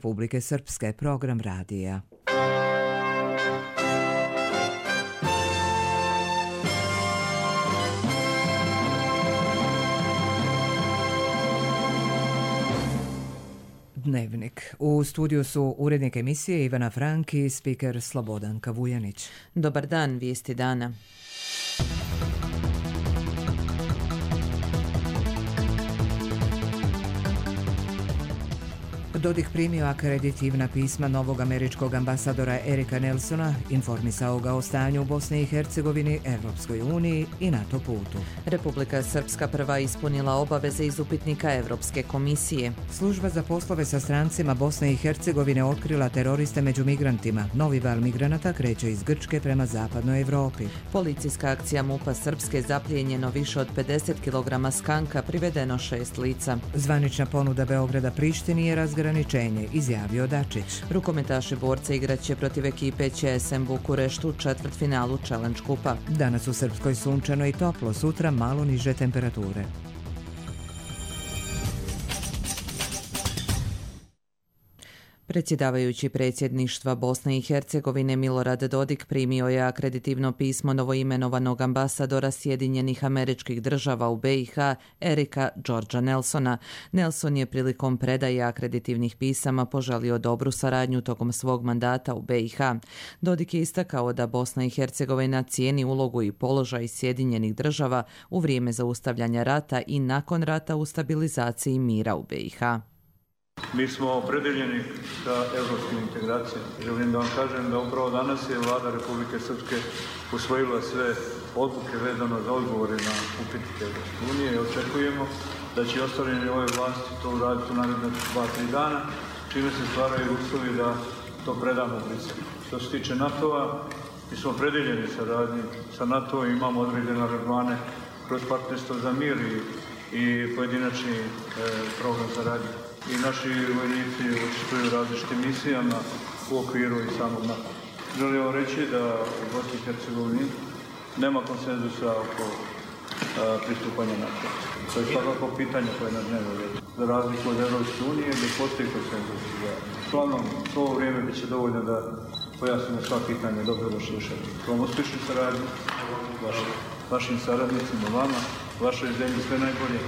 Republike Srpske, program radija. Dnevnik. U studiju su urednik emisije Ivana Frank i spiker Slobodanka Vujanić. Dobar dan, vijesti dana. Dodik primio akreditivna pisma novog američkog ambasadora Erika Nelsona, informisao ga o stanju u Bosni i Hercegovini, Evropskoj uniji i NATO putu. Republika Srpska prva ispunila obaveze iz upitnika Evropske komisije. Služba za poslove sa strancima Bosne i Hercegovine otkrila teroriste među migrantima. Novi val migranata kreće iz Grčke prema zapadnoj Evropi. Policijska akcija MUP-a Srpske, zaplijenjeno više od 50 kg skanka, privedeno 6 lica. Zvanična ponuda Beograda Prištini je razgraničenje, izjavio Dačić. Rukometaši borca igraće protiv ekipe ČSM Bukureštu u četvrtfinalu Challenge kupa. Danas u Srpskoj sunčano i toplo, sutra malo niže temperature. Predsjedavajući predsjedništva Bosne i Hercegovine Milorad Dodik primio je akreditivno pismo novoimenovanog ambasadora Sjedinjenih Američkih Država u BiH Erika Georgea Nelsona. Nelson je prilikom predaje akreditivnih pisama poželio dobru saradnju tokom svog mandata u BiH. Dodik je istakao da Bosna i Hercegovina cijeni ulogu i položaj Sjedinjenih Država u vrijeme zaustavljanja rata i nakon rata u stabilizaciji mira u BiH. Mi smo opredeljeni sa evropskim integracijama. Želim da vam kažem da upravo danas je Vlada Republike Srpske usvojila sve odluke vezano za odgovore na upitnike Evropske unije i očekujemo da će ostvareni ove vlasti to uraditi u narednih 2-3 dana, čime se stvaraju uslovi da to predamo u Briselu. Što se tiče NATO-a, mi smo opredeljeni saradnji sa NATO-om i imamo određene aranžmane kroz partnerstvo za mir i pojedinačni program saradnje. I naši vojnici učestvuju u različitim misijama u okviru i samog NATO. Želim vam reći da u Bosni i Hercegovini nema konsenzusa oko pristupanja NATO. To je svakako pitanje koje je na dnevnom redu. Za razliku od Evropske unije gdje postoji konsenzus. Uglavnom, to vrijeme bit će dovoljno da pojasnimo sva pitanja. Dobro došli u šetu. Vam uspješnu saradnju, vašim saradnicima, vama, vašoj zemlji sve najbolje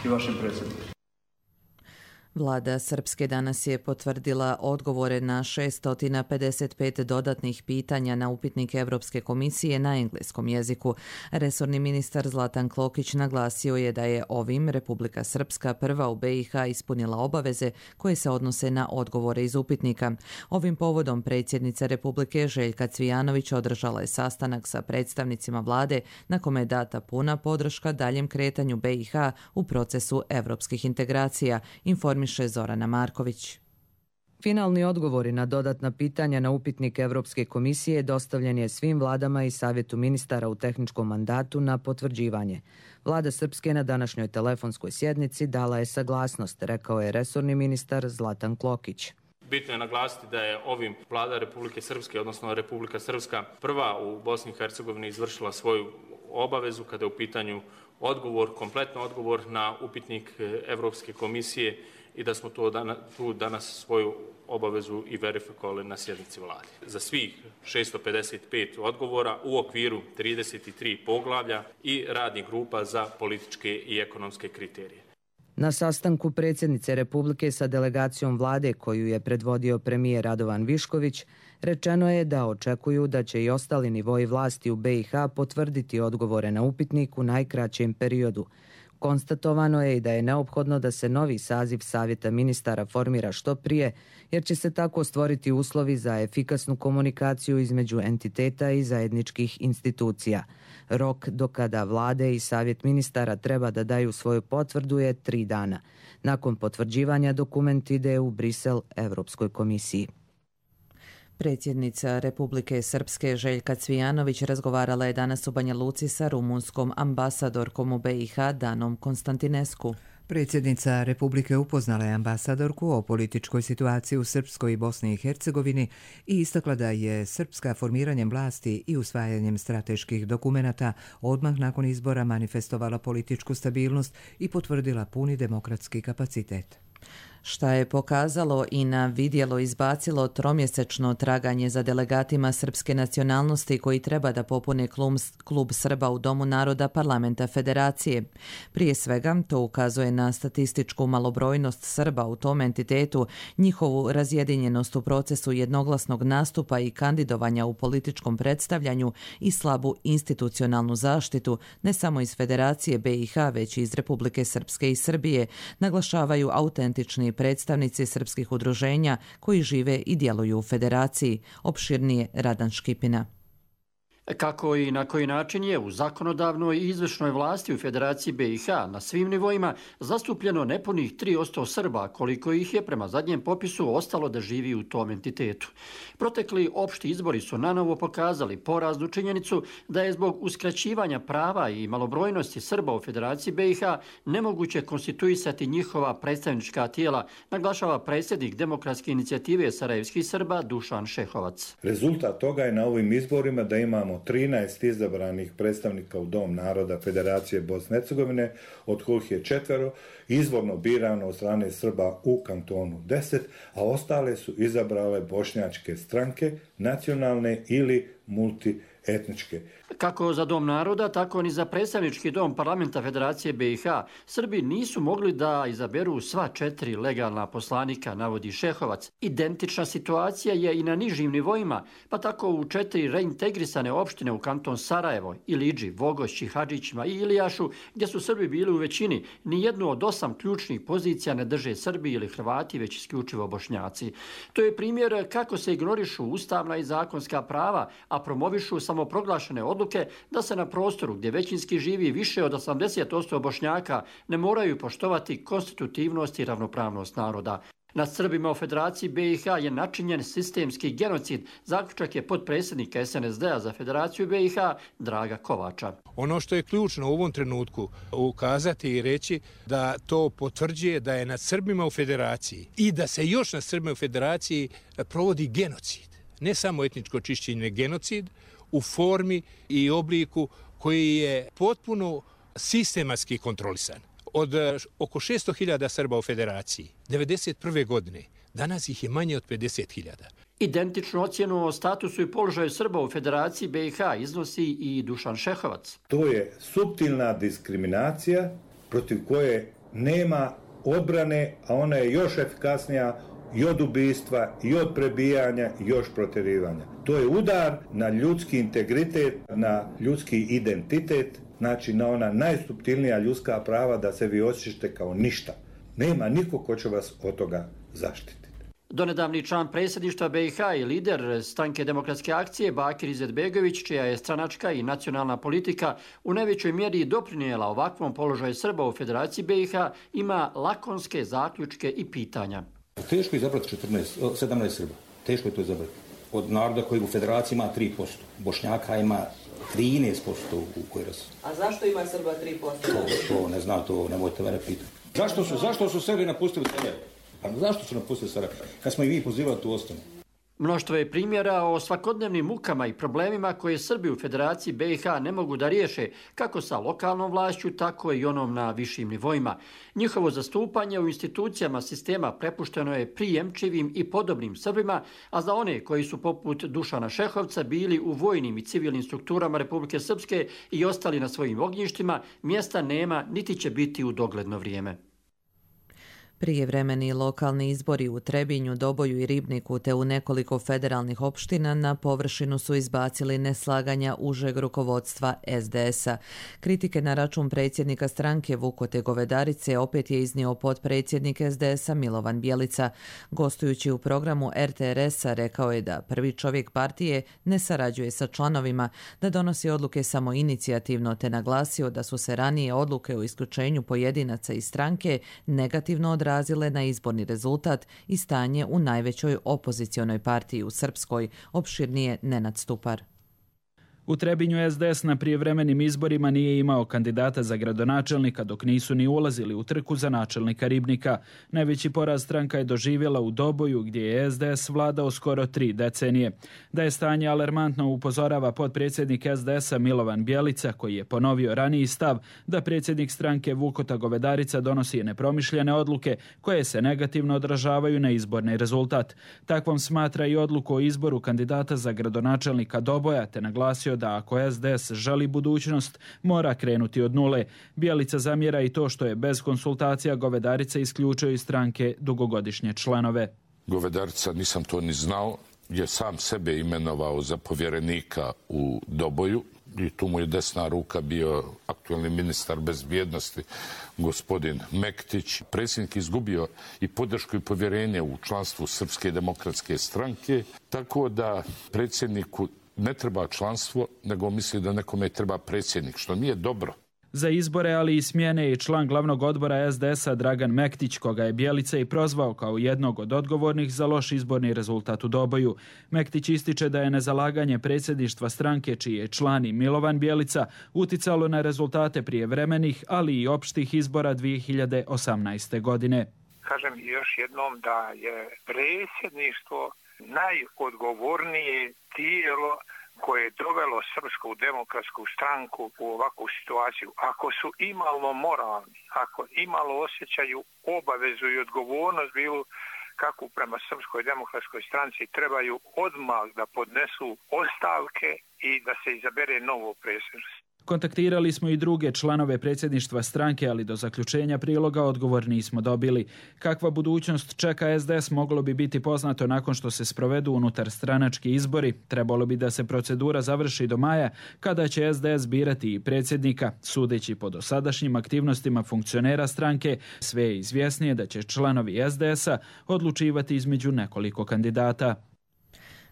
i vašim predsjednicima. Vlada Srpske danas je potvrdila odgovore na 655 dodatnih pitanja na upitnik Evropske komisije na engleskom jeziku. Resorni ministar Zlatan Klokić naglasio je da je ovim Republika Srpska prva u BiH ispunila obaveze koje se odnose na odgovore iz upitnika. Ovim povodom predsjednica Republike Željka Cvijanović održala je sastanak sa predstavnicima vlade na kome je data puna podrška daljem kretanju BiH u procesu evropskih integracija, informiše Zorana Marković. Finalni odgovori na dodatna pitanja na upitnik Evropske komisije dostavljen je svim vladama i Savjetu ministara u tehničkom mandatu na potvrđivanje. Vlada Srpske na današnjoj telefonskoj sjednici dala je saglasnost, rekao je resorni ministar Zlatan Klokić. Bitno je naglasiti da je ovim Vlada Republike Srpske, odnosno Republika Srpska, prva u Bosni i Hercegovini izvršila svoju obavezu kada je u pitanju odgovor, kompletno odgovor na upitnik Evropske komisije i da smo tu danas svoju obavezu i verifikovali na sjednici vlade. Za svih 655 odgovora u okviru 33 poglavlja i radnih grupa za političke i ekonomske kriterije. Na sastanku predsjednice Republike sa delegacijom vlade koju je predvodio premijer Radovan Višković, rečeno je da očekuju da će i ostali nivoi vlasti u BiH potvrditi odgovore na upitnik u najkraćem periodu. Konstatovano je i da je neophodno da se novi saziv Savjeta ministara formira što prije, jer će se tako stvoriti uslovi za efikasnu komunikaciju između entiteta i zajedničkih institucija. Rok do kada vlade i Savjet ministara treba da daju svoju potvrdu je 3 dana. Nakon potvrđivanja dokument ide u Brisel Evropskoj komisiji. Predsjednica Republike Srpske Željka Cvijanović razgovarala je danas u Banja Luci sa rumunskom ambasadorkom u BiH Danom Konstantinescu. Predsjednica Republike upoznala je ambasadorku o političkoj situaciji u Srpskoj i Bosni i Hercegovini i istakla da je Srpska formiranjem vlasti i usvajanjem strateških dokumenata odmah nakon izbora manifestovala političku stabilnost i potvrdila puni demokratski kapacitet. šta je pokazalo i na vidjelo izbacilo tromjesečno traganje za delegatima srpske nacionalnosti koji treba da popune klub Srba u Domu naroda Parlamenta Federacije. Prije svega, to ukazuje na statističku malobrojnost Srba u tom entitetu, njihovu razjedinjenost u procesu jednoglasnog nastupa i kandidovanja u političkom predstavljanju i slabu institucionalnu zaštitu, ne samo iz Federacije BiH, već i iz Republike Srpske i Srbije, naglašavaju autentični predstavnici srpskih udruženja koji žive i djeluju u Federaciji. Opširnije Radan Škipina. Kako i na koji način je u zakonodavnoj i izvršnoj vlasti u Federaciji BiH na svim nivoima zastupljeno nepunih 3% Srba, koliko ih je prema zadnjem popisu ostalo da živi u tom entitetu. Protekli opšti izbori su nanovo pokazali poraznu činjenicu da je zbog uskraćivanja prava i malobrojnosti Srba u Federaciji BiH nemoguće konstituisati njihova predstavnička tijela, naglašava predsjednik Demokratske inicijative sarajevskih Srba Dušan Šehovac. Rezultat toga je na ovim izborima da imamo 13 izabranih predstavnika u Dom naroda Federacije Bosne i Hercegovine, od kojih je 4 izvorno birano od strane Srba u kantonu 10, a ostale su izabrale bošnjačke stranke, nacionalne ili multietničke. Kako za Dom naroda, tako ni za predstavnički dom Parlamenta Federacije BiH, Srbi nisu mogli da izaberu sva 4 legalna poslanika, navodi Šehovac. Identična situacija je i na nižim nivoima, pa tako u 4 reintegrisane opštine u kanton Sarajevo, Ilidži, Vogošći, Hadžićima i Ilijašu, gdje su Srbi bili u većini, nijednu od 8 ključnih pozicija ne drže Srbi ili Hrvati, već isključivo Bošnjaci. To je primjer kako se ignorišu ustavna i zakonska prava, a promovišu samoproglašene odluke da se na prostoru gdje većinski živi više od 80% Bošnjaka ne moraju poštovati konstitutivnost i ravnopravnost naroda. Nad Srbima u Federaciji BiH je načinjen sistemski genocid, zaključak je potpredsjednika SNSD-a za Federaciju BiH Draga Kovača. Ono što je ključno u ovom trenutku ukazati i reći da to potvrđuje da je nad Srbima u Federaciji i da se još nad Srbima u Federaciji provodi genocid. Ne samo etničko čišćenje, genocid u formi i obliku koji je potpuno sistematski kontrolisan. Od oko 600.000 Srba u Federaciji 1991. godine, danas ih je manje od 50.000. Identičnu ocjenu o statusu i položaju Srba u Federaciji BiH iznosi i Dušan Šehovac. To je suptilna diskriminacija protiv koje nema odbrane, a ona je još efikasnija i od ubistva, i od prebijanja, i još protjerivanja. To je udar na ljudski integritet, na ljudski identitet, znači na ona najsuptilnija ljudska prava da se vi osjećate kao ništa. Nema niko ko će vas od toga zaštititi. Donedavni član predsjedništva BiH i lider stranke Demokratske akcije Bakir Izetbegović, čija je stranačka i nacionalna politika u najvećoj mjeri doprinijela ovakvom položaju Srba u Federaciji BiH, ima lakonske zaključke i pitanja. Teško je izabrati 17 Srba. Teško je to izabrati. Od naroda koji u Federaciji ima 3%. Bošnjaka ima 13% u Kojrasu. A zašto ima Srba 3%? To ne znam, to nemojte mene pitati. Zašto su Srbi napustili Sarajevo? Pa zašto su napustili Sarajevo? Kad smo i vi pozivali tu ostanu. Mnoštvo je primjera o svakodnevnim mukama i problemima koje Srbi u Federaciji BiH ne mogu da riješe, kako sa lokalnom vlašću, tako i onom na višim nivoima. Njihovo zastupanje u institucijama sistema prepušteno je prijemčivim i podobnim Srbima, a za one koji su poput Dušana Šehovca bili u vojnim i civilnim strukturama Republike Srpske i ostali na svojim ognjištima, mjesta nema niti će biti u dogledno vrijeme. Prijevremeni lokalni izbori u Trebinju, Doboju i Ribniku te u nekoliko federalnih opština na površinu su izbacili neslaganja užeg rukovodstva SDS-a. Kritike na račun predsjednika stranke Vukote Govedarice opet je iznio potpredsjednik SDS-a Milovan Bjelica. Gostujući u programu RTRS-a rekao je da prvi čovjek partije ne sarađuje sa članovima, da donosi odluke samo inicijativno, te naglasio da su se ranije odluke o isključenju pojedinaca iz stranke negativno odrazile na izborni rezultat i stanje u najvećoj opozicionoj partiji u Srpskoj, opširnije Nenad Stupar. U Trebinju SDS na prijevremenim izborima nije imao kandidata za gradonačelnika dok nisu ni ulazili u trku za načelnika Ribnika. Najveći poraz stranka je doživjela u Doboju gdje je SDS vladao skoro 3 decenije. Da je stanje alarmantno upozorava potpredsjednik SDS-a Milovan Bjelica koji je ponovio raniji stav da predsjednik stranke Vukota Govedarica donosi nepromišljene odluke koje se negativno odražavaju na izborni rezultat. Takvom smatra i odluku o izboru kandidata za gradonačelnika Doboja te naglasio da ako SDS želi budućnost, mora krenuti od nule. Bjelica zamjera i to što je bez konsultacija Govedarica isključio iz stranke dugogodišnje članove. Govedarica, nisam to ni znao, je sam sebe imenovao za povjerenika u Doboju i tu mu je desna ruka bio aktualni ministar bezbjednosti gospodin Mektić. Predsjednik izgubio i podršku i povjerenje u članstvu Srpske demokratske stranke, tako da predsjedniku ne treba članstvo, nego misli da nekome treba predsjednik, što nije dobro. Za izbore, ali i smjene i član glavnog odbora SDS-a Dragan Mektić, koga je Bjelica i prozvao kao jednog od odgovornih za loš izborni rezultat u Doboju. Mektić ističe da je nezalaganje predsjedništva stranke, čiji je član i Milovan Bjelica, uticalo na rezultate prijevremenih, ali i opštih izbora 2018. godine. Kažem još jednom da je predsjedništvo najodgovornije tijelo koje je dovelo Srpsku demokratsku stranku u ovakvu situaciju. Ako su imalo moralni, ako imalo osjećaju obavezu i odgovornost bilo kakvu prema Srpskoj demokratskoj stranci, trebaju odmah da podnesu ostavke i da se izabere novo predsjedništvo. Kontaktirali smo i druge članove predsjedništva stranke, ali do zaključenja priloga odgovor nismo dobili. Kakva budućnost čeka SDS moglo bi biti poznato nakon što se sprovedu unutar stranački izbori. Trebalo bi da se procedura završi do maja, kada će SDS birati i predsjednika. Sudeći po dosadašnjim aktivnostima funkcionera stranke, sve je izvjesnije da će članovi SDS-a odlučivati između nekoliko kandidata.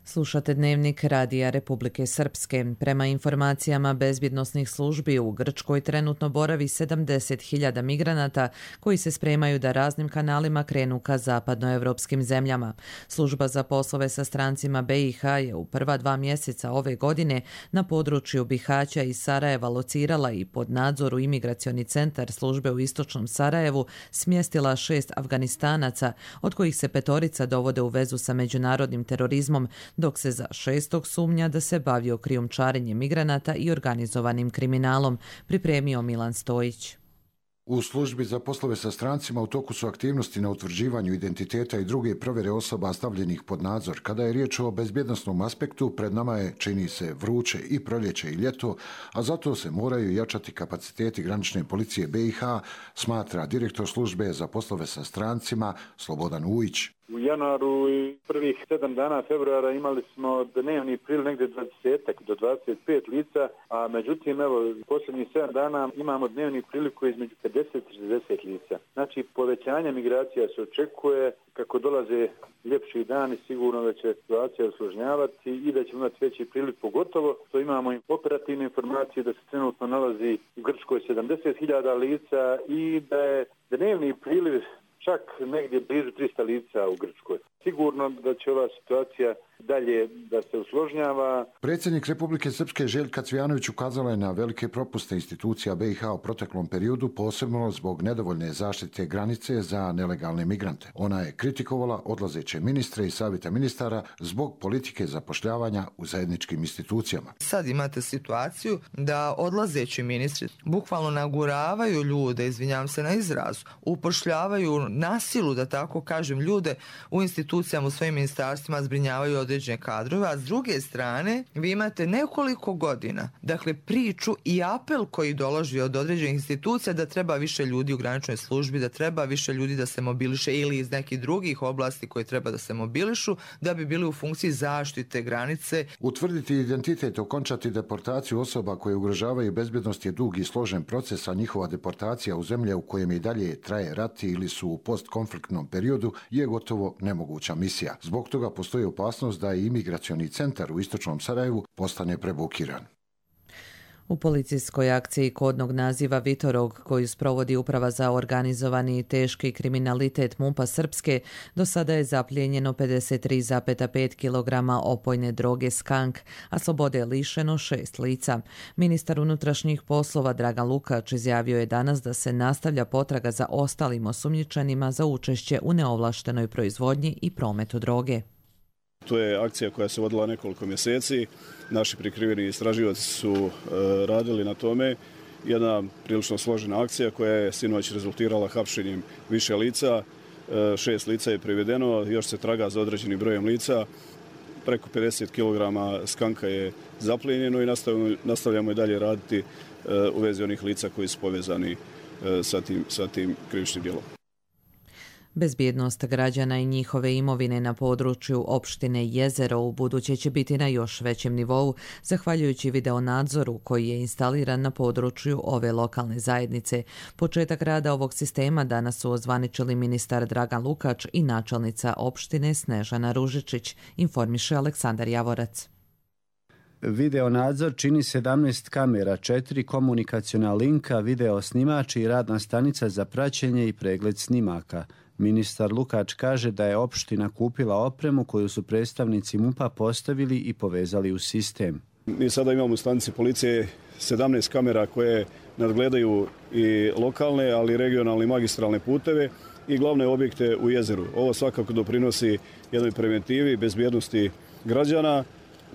Slušate Dnevnik Radija Republike Srpske. Prema informacijama bezbjednosnih službi u Grčkoj trenutno boravi 70.000 migranata koji se spremaju da raznim kanalima krenu ka zapadnoevropskim zemljama. Služba za poslove sa strancima BiH je u prva 2 mjeseca ove godine na području Bihaća i Sarajeva locirala i pod nadzoru imigracioni centar službe u istočnom Sarajevu smjestila 6 Afganistanaca, od kojih se 5 dovode u vezu sa međunarodnim terorizmom, dok se za 6. sumnja da se bavio krijumčarenjem migranata i organizovanim kriminalom, pripremio Milan Stojić. U službi za poslove sa strancima u toku su aktivnosti na utvrđivanju identiteta i druge provjere osoba stavljenih pod nadzor. Kada je riječ o bezbjednosnom aspektu, pred nama je, čini se, vruće i proljeće i ljeto, a zato se moraju jačati kapaciteti granične policije BiH, smatra direktor službe za poslove sa strancima Slobodan Ujić. U januaru i prvih 7 dana februara imali smo dnevni priliv negdje 20 do 25 lica, a međutim, evo, posljednjih 7 dana imamo dnevni priliv koji je između 50 i 60 lica. Znači, povećanje migracija se očekuje, kako dolaze ljepši dani, sigurno da će situacija usložnjavati i da ćemo imati veći priliv, pogotovo što imamo operativne informacije da se trenutno nalazi u Grčkoj 70.000 lica i da je dnevni priliv čak negdje blizu 300 lica u Grčkoj. Sigurno da će ova situacija dalje da se usložnjava. Predsjednik Republike Srpske Željka Cvijanović ukazala je na velike propuste institucija BiH u proteklom periodu, posebno zbog nedovoljne zaštite granice za nelegalne migrante. Ona je kritikovala odlazeće ministre i savjeta ministara zbog politike zapošljavanja u zajedničkim institucijama. Sad imate situaciju da odlazeći ministri bukvalno naguravaju ljude, izvinjavam se na izrazu, upošljavaju na silu, da tako kažem, ljude u institucijama, u svojim ministarstvima, zbrinjavaju određene kadrove, a s druge strane vi imate nekoliko godina, dakle, priču i apel koji dolazi od određenih institucija da treba više ljudi u graničnoj službi, da treba više ljudi da se mobiliše ili iz nekih drugih oblasti koje treba da se mobilišu, da bi bili u funkciji zaštite granice. Utvrditi identitet, okončati deportaciju osoba koje ugrožavaju bezbjednost je dug i složen proces, a njihova deportacija u zemlje u kojem i dalje traje rat ili su u postkonfliktnom periodu je gotovo nemoguća misija. Zbog toga postoji opasnost da i imigracioni centar u istočnom Sarajevu postane prebukiran. U policijskoj akciji kodnog naziva Vitorog, koju sprovodi Uprava za organizovani i teški kriminalitet MUP-a Srpske, do sada je zaplijenjeno 53,5 kg opojne droge skank, a slobode je lišeno 6 lica. Ministar unutrašnjih poslova Dragan Lukač izjavio je danas da se nastavlja potraga za ostalim osumnjičenima za učešće u neovlaštenoj proizvodnji i prometu droge. To je akcija koja se vodila nekoliko mjeseci. Naši prikriveni istraživači su radili na tome. Jedna prilično složena akcija koja je sinoć rezultirala hapšenjem više lica. 6 lica je privedeno, još se traga za određenim brojem lica. Preko 50 kg skanka je zaplijenjeno i nastavljamo i dalje raditi u vezi onih lica koji su povezani sa tim krivičnim djelom. Bezbjednost građana i njihove imovine na području opštine Jezero u buduće će biti na još većem nivou, zahvaljujući videonadzoru koji je instaliran na području ove lokalne zajednice. Početak rada ovog sistema danas su ozvaničili ministar Dragan Lukač i načelnica opštine Snežana Ružičić, informiše Aleksandar Javorac. Videonadzor čini 17 kamera, 4 komunikaciona linka, video snimač i radna stanica za praćenje i pregled snimaka. Ministar Lukač kaže da je opština kupila opremu koju su predstavnici MUP-a postavili i povezali u sistem. Mi sada imamo u stanici policije 17 kamera koje nadgledaju i lokalne, ali i regionalne i magistralne puteve i glavne objekte u jezeru. Ovo svakako doprinosi jednoj preventivi, bezbjednosti građana.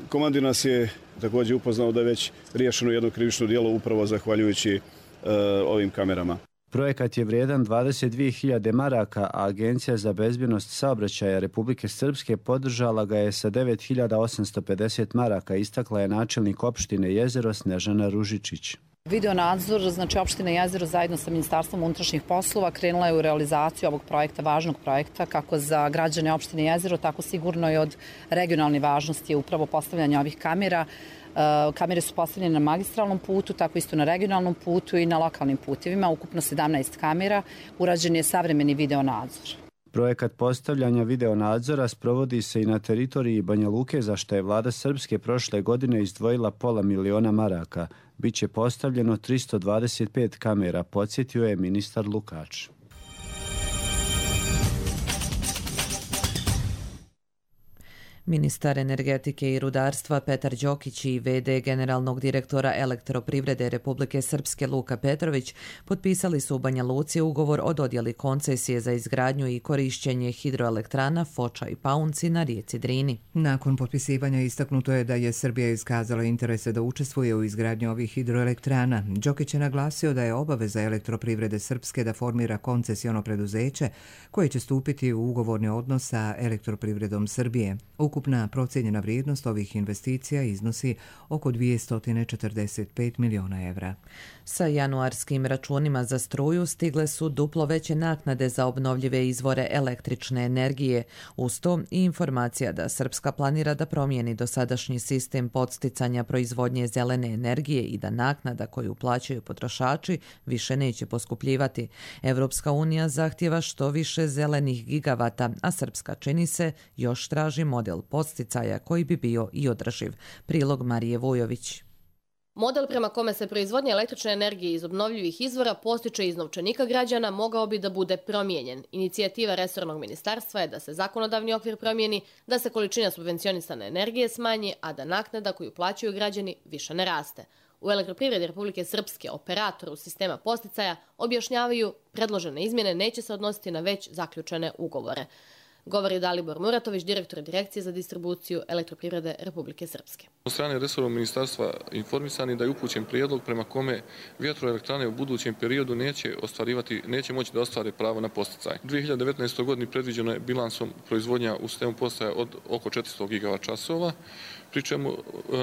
Komandir nas je također upoznao da je već riješeno jedno krivično djelo upravo zahvaljujući ovim kamerama. Projekat je vrijedan 22.000 maraka, a Agencija za bezbjednost saobraćaja Republike Srpske podržala ga je sa 9.850 maraka, istakla je načelnik opštine Jezero Snežana Ružičić. Videonadzor, znači opština Jezero zajedno sa Ministarstvom unutrašnjih poslova krenula je u realizaciju ovog projekta, važnog projekta, kako za građane opštine Jezero, tako sigurno i od regionalne važnosti je upravo postavljanje ovih kamera. Kamere su postavljene na magistralnom putu, tako isto na regionalnom putu i na lokalnim putevima. Ukupno 17 kamera, urađen je savremeni videonadzor. Projekat postavljanja videonadzora sprovodi se i na teritoriji Banja Luke, za što je vlada Srpske prošle godine izdvojila $500.000 maraka. Biće postavljeno 325 kamera, podsjetio je ministar Lukač. Ministar energetike i rudarstva Petar Đokić i v.d. generalnog direktora Elektroprivrede Republike Srpske Luka Petrović potpisali su u Banja Luci ugovor o dodjeli koncesije za izgradnju i korišćenje hidroelektrana Foča i Paunci na rijeci Drini. Nakon potpisivanja istaknuto je da je Srbija iskazala interese da učestvuje u izgradnji ovih hidroelektrana. Đokić je naglasio da je obaveza Elektroprivrede Srpske da formira koncesiono preduzeće koje će stupiti u ugovorni odnos sa Elektroprivredom Srbije. Ukupna procijenjena vrijednost ovih investicija iznosi oko 245 miliona evra. Sa januarskim računima za struju stigle su duplo veće naknade za obnovljive izvore električne energije. Uz to i informacija da Srpska planira da promijeni dosadašnji sistem podsticanja proizvodnje zelene energije i da naknada koju plaćaju potrošači više neće poskupljivati. Evropska unija zahtjeva što više zelenih gigavata, a Srpska, čini se, još traži model podsticaja koji bi bio i održiv. Prilog Marije Vujović. Model prema kome se proizvodnja električne energije iz obnovljivih izvora postiče iz novčanika građana mogao bi da bude promijenjen. Inicijativa resornog ministarstva je da se zakonodavni okvir promijeni, da se količina subvencionisane energije smanji, a da naknada koju plaćaju građani više ne raste. U Elektroprivredi Republike Srpske, operatoru sistema podsticaja, objašnjavaju predložene izmjene neće se odnositi na već zaključene ugovore. Govori Dalibor Muratović, direktor Direkcije za distribuciju Elektroprivrede Republike Srpske. Od strane resornog ministarstva informisani da je upućen prijedlog prema kome vjetroelektrane u budućem periodu neće moći da ostvare pravo na podsticaj. U 2019. godini predviđeno je bilansom proizvodnja u sistemu podsticaja od oko 400 gigavat-časova, pri čemu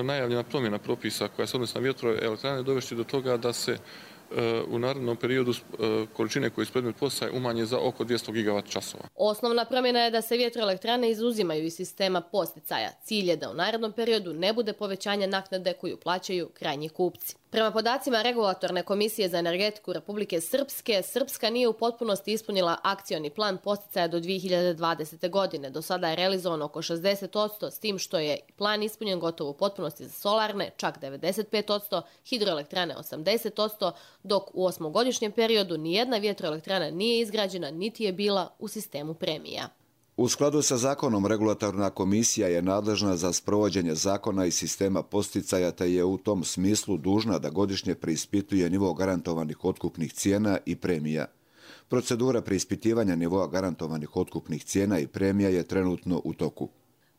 najavljena promjena propisa koja se odnosi na vjetroelektrane dovesti do toga da se u narednom periodu količine koje su predmet podsticaja umanje za oko 200 gigavat-časova. Osnovna promjena je da se vjetroelektrane izuzimaju iz sistema podsticaja. Cilj je da u narednom periodu ne bude povećanja naknade koju plaćaju krajnji kupci. Prema podacima Regulatorne komisije za energetiku Republike Srpske, Srpska nije u potpunosti ispunila akcioni plan podsticaja do 2020. godine. Do sada je realizovano oko 60%, s tim što je plan ispunjen gotovo u potpunosti za solarne, čak 95%, hidroelektrane 80%, dok u 8-godišnjem periodu nijedna vjetroelektrana nije izgrađena niti je bila u sistemu premija. U skladu sa zakonom, regulatorna komisija je nadležna za sprovođenje zakona i sistema podsticaja, te je u tom smislu dužna da godišnje preispituje nivo garantovanih otkupnih cijena i premija. Procedura preispitivanja nivoa garantovanih otkupnih cijena i premija je trenutno u toku.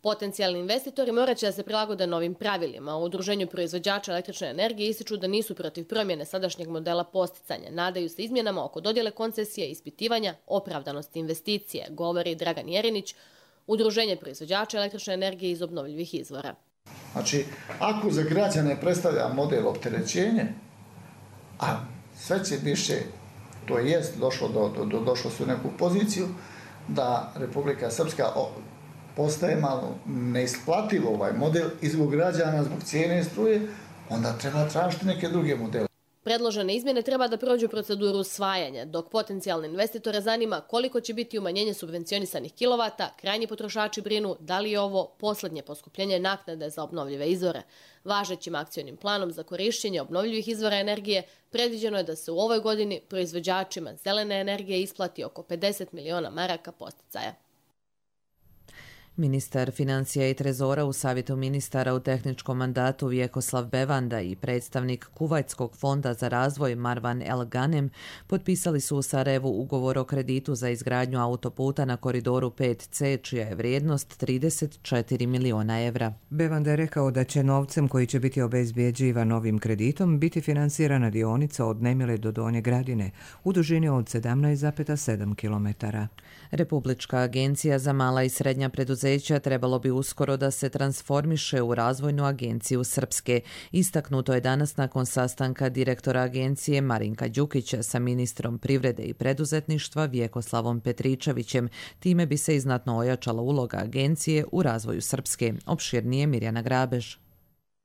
Potencijalni investitori morat će da se prilagode novim pravilima. U Udruženju proizvođača električne energije ističu da nisu protiv promjene sadašnjeg modela posticanja. Nadaju se izmjenama oko dodjele koncesije i ispitivanja opravdanosti investicije, govori Dragan Jerinić, Udruženje proizvođača električne energije iz obnovljivih izvora. Znači, ako za građane predstavlja model opterećenje, a sve će više, to jest došlo su u neku poziciju, da Republika Srpska postaje malo neisplativo ovaj model i zbog građana, zbog cijene struje, onda treba tražiti neke druge modele. Predložene izmjene treba da prođu proceduru usvajanja, dok potencijalne investitore zanima koliko će biti umanjenje subvencionisanih kilovata, krajnji potrošači brinu da li je ovo posljednje poskupljenje naknade za obnovljive izvore. Važećim akcionim planom za korišćenje obnovljivih izvora energije predviđeno je da se u ovoj godini proizvođačima zelene energije isplati oko 50 miliona maraka podsticaja. Ministar financija i trezora u Savjetu ministara u tehničkom mandatu Vjekoslav Bevanda i predstavnik Kuvajtskog fonda za razvoj Marwan El Ghanem potpisali su u Sarajevu ugovor o kreditu za izgradnju autoputa na koridoru 5C, čija je vrijednost 34 miliona evra. Bevanda je rekao da će novcem koji će biti obezbjeđivan novim kreditom biti finansirana dionica od Nemile do Donje Gradine u dužini od 17,7 km. Republička agencija za mala i srednja preduzeća trebalo bi uskoro da se transformiše u razvojnu agenciju Srpske. Istaknuto je danas nakon sastanka direktora agencije Marinka Đukića sa ministrom privrede i preduzetništva Vjekoslavom Petričevićem. Time bi se i znatno ojačala uloga agencije u razvoju Srpske. Opširnije Mirjana Grabež.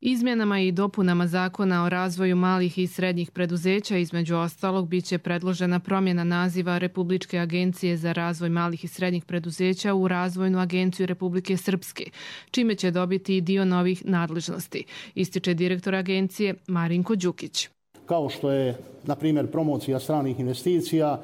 Izmjenama i dopunama zakona o razvoju malih i srednjih preduzeća između ostalog biće predložena promjena naziva Republičke agencije za razvoj malih i srednjih preduzeća u Razvojnu agenciju Republike Srpske, čime će dobiti i dio novih nadležnosti, ističe direktor agencije Marinko Đukić. Kao što je, na primjer, promocija stranih investicija,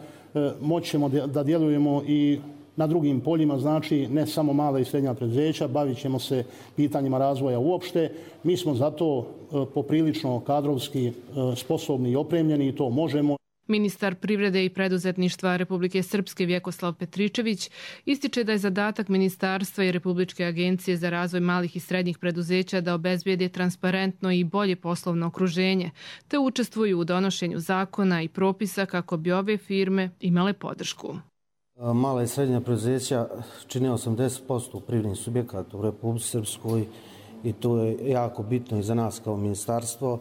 moći ćemo da djelujemo i na drugim poljima, znači ne samo mala i srednja preduzeća, bavit ćemo se pitanjima razvoja uopšte. Mi smo zato poprilično kadrovski sposobni i opremljeni i to možemo. Ministar privrede i preduzetništva Republike Srpske Vjekoslav Petričević ističe da je zadatak Ministarstva i Republičke agencije za razvoj malih i srednjih preduzeća da obezbijede transparentno i bolje poslovno okruženje, te učestvuju u donošenju zakona i propisa kako bi ove firme imale podršku. Mala i srednja preduzeća čine 80% privrednih subjekata u Republici Srpskoj i to je jako bitno i za nas kao ministarstvo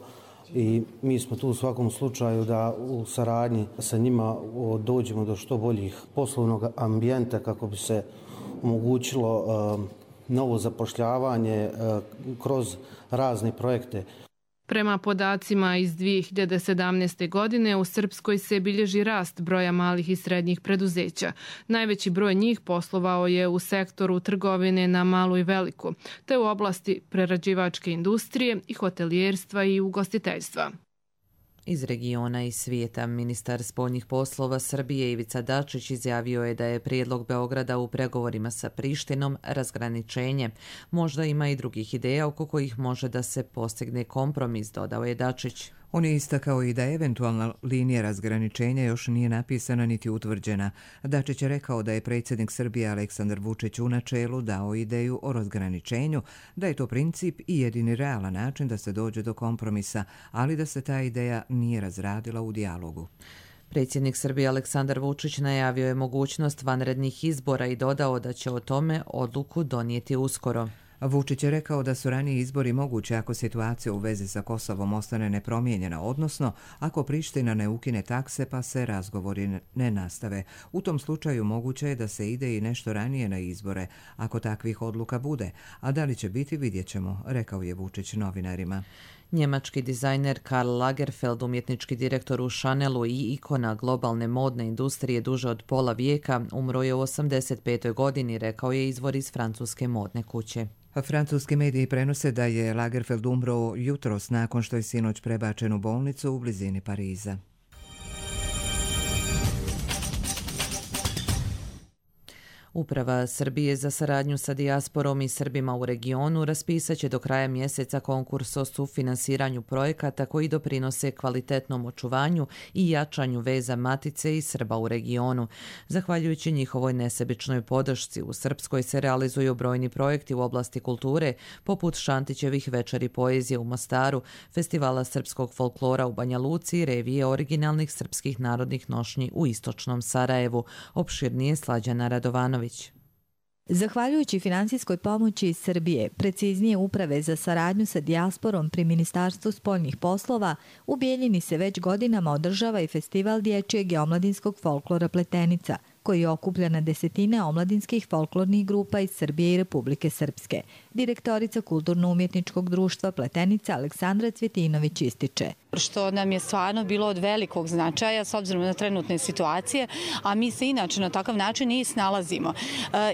i mi smo tu u svakom slučaju da u saradnji sa njima dođemo do što boljih poslovnog ambijenta kako bi se omogućilo novo zapošljavanje kroz razne projekte. Prema podacima iz 2017. godine u Srpskoj se bilježi rast broja malih i srednjih preduzeća. Najveći broj njih poslovao je u sektoru trgovine na malu i veliku, te u oblasti prerađivačke industrije i hotelijerstva i ugostiteljstva. Iz regiona i svijeta, ministar spoljnih poslova Srbije Ivica Dačić izjavio je da je prijedlog Beograda u pregovorima sa Prištinom razgraničenje. Možda ima i drugih ideja oko kojih može da se postigne kompromis, dodao je Dačić. On je istakao i da eventualna linija razgraničenja još nije napisana niti utvrđena. Dačić je rekao da je predsjednik Srbije Aleksandar Vučić u načelu dao ideju o razgraničenju, da je to princip i jedini realan način da se dođe do kompromisa, ali da se ta ideja nije razradila u dijalogu. Predsjednik Srbije Aleksandar Vučić najavio je mogućnost vanrednih izbora i dodao da će o tome odluku donijeti uskoro. Vučić je rekao da su raniji izbori mogući ako situacija u vezi sa Kosovom ostane nepromijenjena, odnosno ako Priština ne ukine takse pa se razgovori ne nastave. U tom slučaju moguće je da se ide i nešto ranije na izbore, ako takvih odluka bude, a da li će biti vidjet ćemo, rekao je Vučić novinarima. Njemački dizajner Karl Lagerfeld, umjetnički direktor u Chanelu i ikona globalne modne industrije duže od pola vijeka, umro je u 85. godini, rekao je izvor iz francuske modne kuće. Francuski mediji prenose da je Lagerfeld umro jutros nakon što je sinoć prebačen u bolnicu u blizini Pariza. Uprava Srbije za saradnju sa dijasporom i Srbima u regionu raspisat će do kraja mjeseca konkurs o sufinansiranju projekata koji doprinose kvalitetnom očuvanju i jačanju veza Matice i Srba u regionu. Zahvaljujući njihovoj nesebičnoj podršci, u Srpskoj se realizuju brojni projekti u oblasti kulture, poput Šantićevih večeri poezije u Mostaru, festivala srpskog folklora u Banja Luci i revije originalnih srpskih narodnih nošnji u istočnom Sarajevu. Opširnije Slađana Radovanović. Zahvaljujući finansijskoj pomoći iz Srbije, preciznije Uprave za saradnju sa dijasporom pri Ministarstvu spoljnih poslova, u Bijeljini se već godinama održava i festival dječjeg i omladinskog folklora Pletenica, koji okuplja na desetine omladinskih folklornih grupa iz Srbije i Republike Srpske. Direktorica Kulturno-umjetničkog društva Pletenica Aleksandra Cvjetinović ističe. Što nam je stvarno bilo od velikog značaja s obzirom na trenutne situacije, a mi se inače na takav način i snalazimo.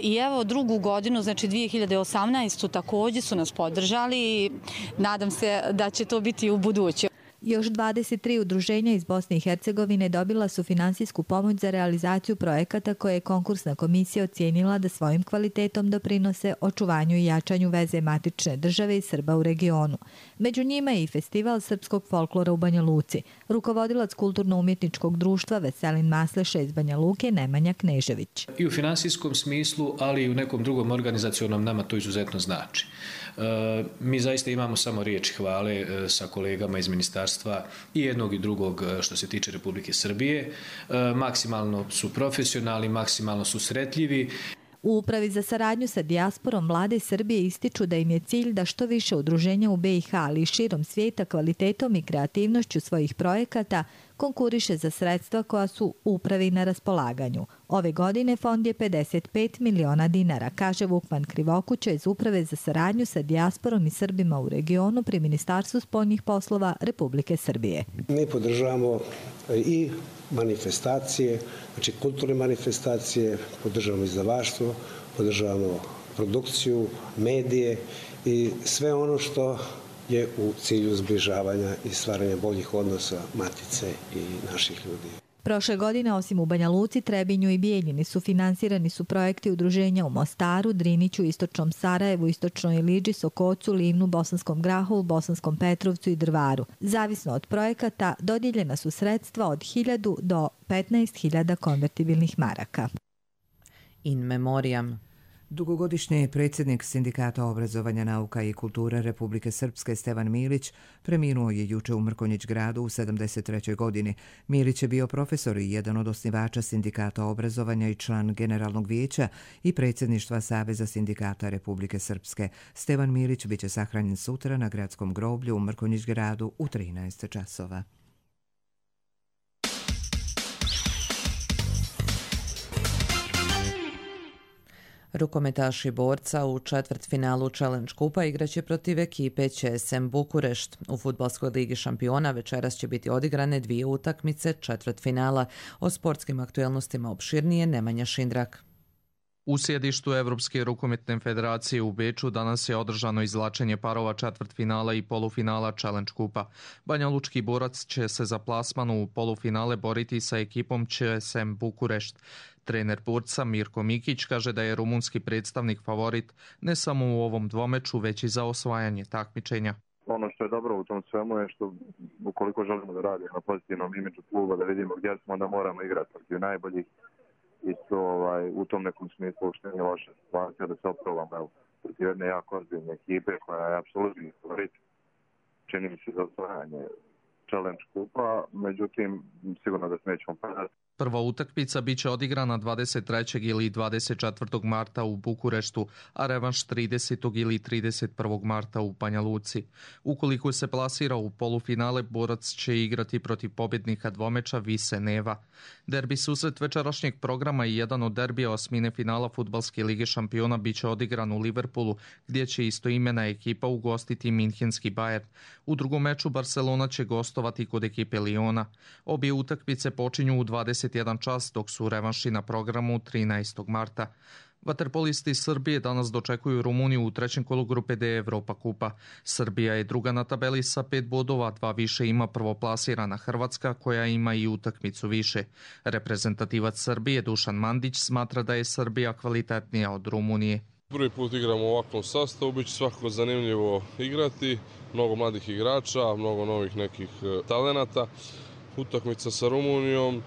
I evo drugu godinu, znači 2018. također su nas podržali i nadam se da će to biti u buduće. Još 23 udruženja iz Bosne i Hercegovine dobila su finansijsku pomoć za realizaciju projekata koje je konkursna komisija ocijenila da svojim kvalitetom doprinose očuvanju i jačanju veze matične države i Srba u regionu. Među njima je i festival srpskog folklora u Banja Luci. Rukovodilac Kulturno-umjetničkog društva Veselin Masleša iz Banja Luke Nemanja Knežević. I u finansijskom smislu, ali i u nekom drugom organizacionom nama to izuzetno znači. Mi zaista imamo samo riječi hvale sa kolegama iz ministarstva i jednog i drugog što se tiče Republike Srbije. Maksimalno su profesionalni, maksimalno su sretljivi. U Upravi za saradnju sa dijasporom vlade Srbije ističu da im je cilj da što više udruženja u BiH, ali i širom svijeta kvalitetom i kreativnošću svojih projekata konkuriše za sredstva koja su Upravi na raspolaganju. Ove godine fond je 55 miliona dinara, kaže Vukman Krivokuća iz Uprave za saradnju sa dijasporom i Srbima u regionu pri Ministarstvu spoljnih poslova Republike Srbije. Mi podržavamo i manifestacije, znači kulturne manifestacije, podržavamo izdavaštvo, podržavamo produkciju, medije i sve ono što je u cilju zbližavanja i stvaranja boljih odnosa Matice i naših ljudi. Prošle godine, osim u Banja Luci, Trebinju i Bijeljini, sufinansirani su projekti udruženja u Mostaru, Driniću, Istočnom Sarajevu, Istočnoj Iliđi, Sokocu, Livnu, Bosanskom Grahovu, Bosanskom Petrovcu i Drvaru. Zavisno od projekata, dodijeljena su sredstva od 1000 do 15.000 konvertibilnih maraka. In memoriam. Dugogodišnji predsjednik Sindikata obrazovanja, nauka i kulture Republike Srpske Stevan Milić preminuo je juče u Mrkonjić gradu u 73. godini. Milić je bio profesor i jedan od osnivača Sindikata obrazovanja i član Generalnog vijeća i predsjedništva Saveza sindikata Republike Srpske. Stevan Milić biće sahranjen sutra na gradskom groblju u Mrkonjić gradu u 13 časova. Rukometaši borca u četvrtfinalu Challenge Kupa igraće protiv ekipe ČSM Bukurešt. U Fudbalskoj ligi šampiona večeras će biti odigrane 2 utakmice četvrtfinala. O sportskim aktuelnostima opširnije Nemanja Šindrak. U sjedištu Evropske rukometne federacije u Beču danas je održano izvlačenje parova četvrtfinala i polufinala Challenge Kupa. Banjalučki borac će se za plasman u polufinale boriti sa ekipom ČSM Bukurešt. Trener borca Mirko Mikić kaže da je rumunski predstavnik favorit ne samo u ovom dvomeču, već i za osvajanje takmičenja. Ono što je dobro u tom svemu je što ukoliko želimo da radimo na pozitivnom imidžu kluba, da vidimo gdje smo, onda moramo igrati protiv najboljih. Isto u tom nekom smislu uopšte nije loša situacija da se oprobamo protiv jedne jako ozbiljne ekipe koja je apsolutni favorit, čini mi se za osvajanje Challenge Kupa, međutim sigurno da se nećemo padati. Prva utakmica biće odigrana 23. ili 24. marta u Bukureštu, a revanš 30. ili 31. marta u Banja Luci. Ukoliko se plasira u polufinale, borac će igrati protiv pobjednika dvomeča Vise Neva. Derbi susret večerašnjeg programa i jedan od derbija osmine finala Fudbalske lige šampiona biće odigran u Liverpoolu, gdje će istoimena ekipa ugostiti Minhenski Bayern. U drugom meču Barcelona će gostovati kod ekipe Liona. Obje utakmice počinju u 21 čas, dok su revanši na programu 13. marta. Vaterpolisti Srbije danas dočekuju Rumuniju u trećem kolu grupe D Evropa kupa. Srbija je druga na tabeli sa 5 bodova, 2 više ima prvoplasirana Hrvatska koja ima i utakmicu više. Reprezentativac Srbije Dušan Mandić smatra da je Srbija kvalitetnija od Rumunije. Prvi put igramo u ovakvom sastavu, bit će svakako zanimljivo igrati, mnogo mladih igrača, mnogo novih nekih talenata. Utakmica sa Rumunijom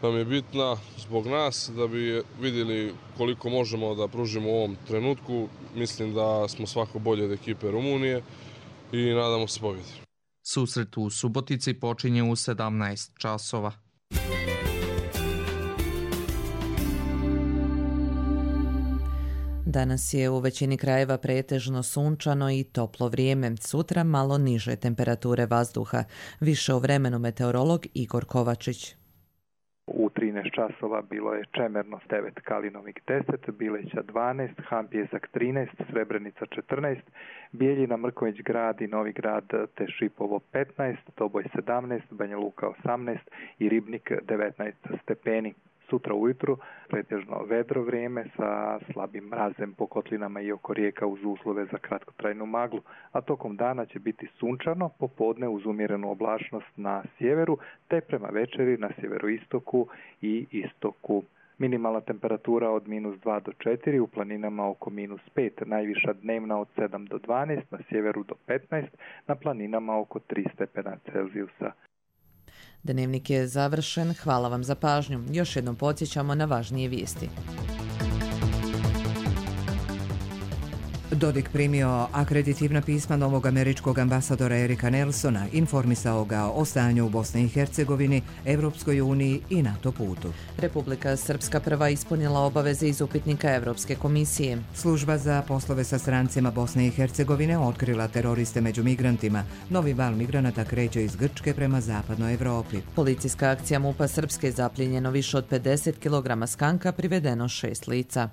nam je bitna zbog nas, da bi vidjeli koliko možemo da pružimo u ovom trenutku. Mislim da smo svako bolje od ekipe Rumunije i nadamo se pobjedi. Susret u Subotici počinje u 17 časova. Danas je u većini krajeva pretežno sunčano i toplo vrijeme. Sutra malo niže temperature vazduha. Više o vremenu meteorolog Igor Kovačić. U 13 časova bilo je Čemernost 9, Kalinovik 10, Bileća 12, Han Pjesak 13, Srebrenica 14, Bijeljina, Mrkonjić Grad i Novi Grad te Šipovo 15, Doboj 17, Banja Luka 18 i Ribnik 19 stepeni. Sutra ujutru pretežno vedro vrijeme sa slabim mrazem po kotlinama i oko rijeka uz uslove za kratkotrajnu maglu, a tokom dana će biti sunčano, popodne uz umjerenu oblačnost na sjeveru, te prema večeri na sjeveroistoku i istoku. Minimalna temperatura od -2 do 4, u planinama oko -5, najviša dnevna od 7 do 12, na sjeveru do 15, na planinama oko 3 stepena Celzijusa. Dnevnik je završen. Hvala vam za pažnju. Još jednom podsjećamo na važnije vijesti. Dodik primio akreditivna pisma novog američkog ambasadora Erika Nelsona, informisao ga o stanju u Bosni i Hercegovini, Evropskoj uniji i NATO putu. Republika Srpska prva ispunila obaveze iz upitnika Evropske komisije. Služba za poslove sa strancima Bosne i Hercegovine otkrila teroriste među migrantima. Novi val migranata kreće iz Grčke prema zapadnoj Evropi. Policijska akcija MUP-a Srpske zapljenjeno više od 50 kg skanka, privedeno 6 lica.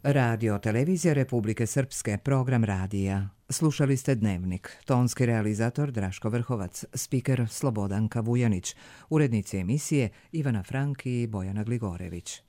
Radio televizija Republike Srpske, program radija. Slušali ste Dnevnik. Tonski realizator Draško Vrhovac, spiker Slobodanka Vujanić, urednici emisije Ivana Frank i Bojana Gligorević.